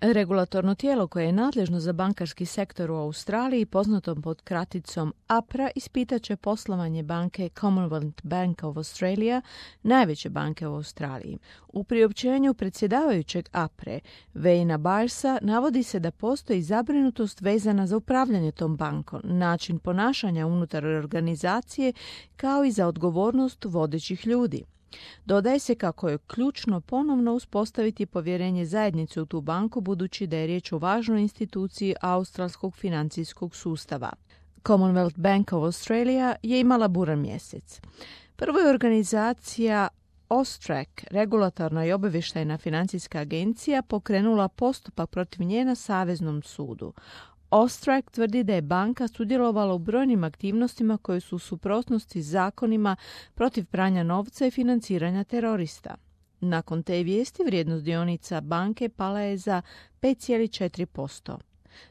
Regulatorno tijelo koje je nadležno za bankarski sektor u Australiji, poznato pod kraticom APRA, ispitat će poslovanje banke Commonwealth Bank of Australia, najveće banke u Australiji. U priopćenju predsjedavajućeg APRE, Wayna Barsa, navodi se da postoji zabrinutost vezana za upravljanje tom bankom, način ponašanja unutar organizacije, kao i za odgovornost vodećih ljudi. Dodaje se kako je ključno ponovno uspostaviti povjerenje zajednice u tu banku, budući da je riječ o važnoj instituciji australskog financijskog sustava. Commonwealth Bank of Australia je imala buran mjesec. Prvo je organizacija AUSTRAC, regulatorna i obavještajna financijska agencija, pokrenula postupak protiv nje na Saveznom sudu. AUSTRAC tvrdi da je banka sudjelovala u brojnim aktivnostima koje su u suprotnosti s zakonima protiv pranja novca i financiranja terorista. Nakon te vijesti vrijednost dionica banke pala je za 5,4%.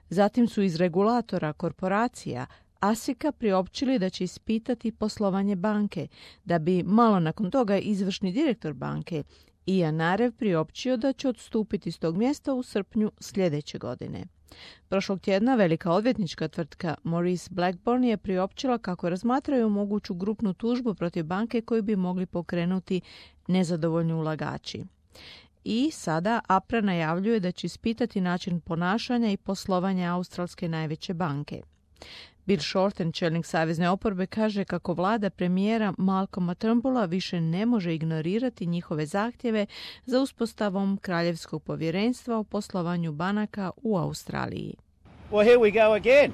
Zatim su iz regulatora korporacija ASIC-a priopćili da će ispitati poslovanje banke, da bi malo nakon toga izvršni direktor banke Ian Narev priopćio da će odstupiti s tog mjesta u srpnju sljedeće godine. Prošlog tjedna velika odvjetnička tvrtka Maurice Blackburn je priopćila kako razmatraju moguću grupnu tužbu protiv banke koju bi mogli pokrenuti nezadovoljni ulagači. I sada APRA najavljuje da će ispitati način ponašanja i poslovanja australske najveće banke. Bill Shorten, čelnik savezne oporbe, kaže kako vlada premijera Malcolma Turnbulla više ne može ignorirati njihove zahtjeve za uspostavom kraljevskog povjerenstva o poslovanju banaka u Australiji. Well, here we go again.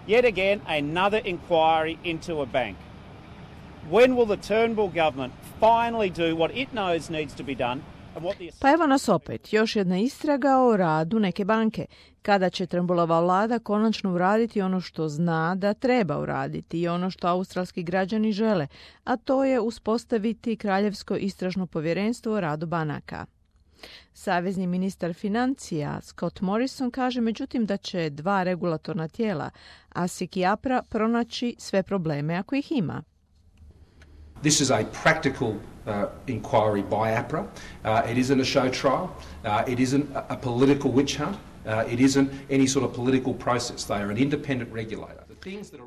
Yet again, another inquiry into a bank. When will the Turnbull government finally do what it knows needs to be done? Pa evo nas opet, još jedna istraga o radu neke banke. Kada će Turnbullova vlada konačno uraditi ono što zna da treba uraditi i ono što australski građani žele, a to je uspostaviti kraljevsko istražno povjerenstvo o radu banaka. Savezni ministar financija Scott Morrison kaže međutim da će dva regulatorna tijela, ASIC i APRA, pronaći sve probleme ako ih ima. This is a practical inquiry by APRA. It isn't a show trial. It isn't a political witch hunt. It isn't any sort of political process. They are an independent regulator.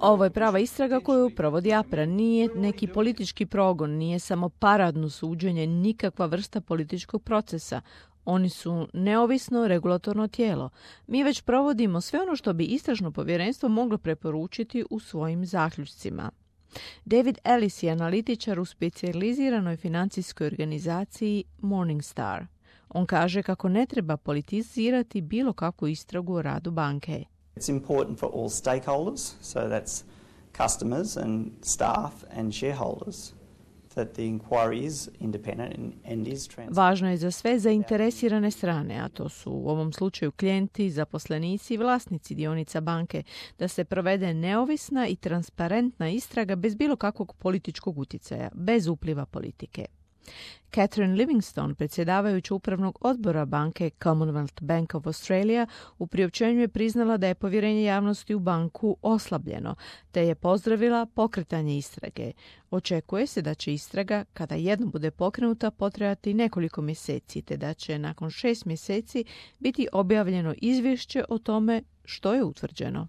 Ovo je prava istraga koju provodi APRA. Nije neki politički progon, nije samo paradno suđenje, nikakva vrsta političkog procesa. Oni su neovisno regulatorno tijelo. Mi već provodimo sve ono što bi istražno povjerenstvo moglo preporučiti u svojim zaključcima. David Ellis je analitičar u specijaliziranoj financijskoj organizaciji Morningstar. On kaže kako ne treba politizirati bilo kakvu istragu o radu banke. It's important for all stakeholders, so that's customers and staff and shareholders, that the inquiry is independent and is transparent. Važno je za sve zainteresirane strane, a to su u ovom slučaju klijenti, zaposlenici i vlasnici dionica banke, da se provede neovisna i transparentna istraga bez bilo kakvog političkog utjecaja, bez upliva politike. Catherine Livingstone, predsjedavajuća upravnog odbora banke Commonwealth Bank of Australia, u priopćenju je priznala da je povjerenje javnosti u banku oslabljeno, te je pozdravila pokretanje istrage. Očekuje se da će istraga, kada jednom bude pokrenuta, potrajati nekoliko mjeseci, te da će nakon 6 mjeseci biti objavljeno izvješće o tome što je utvrđeno.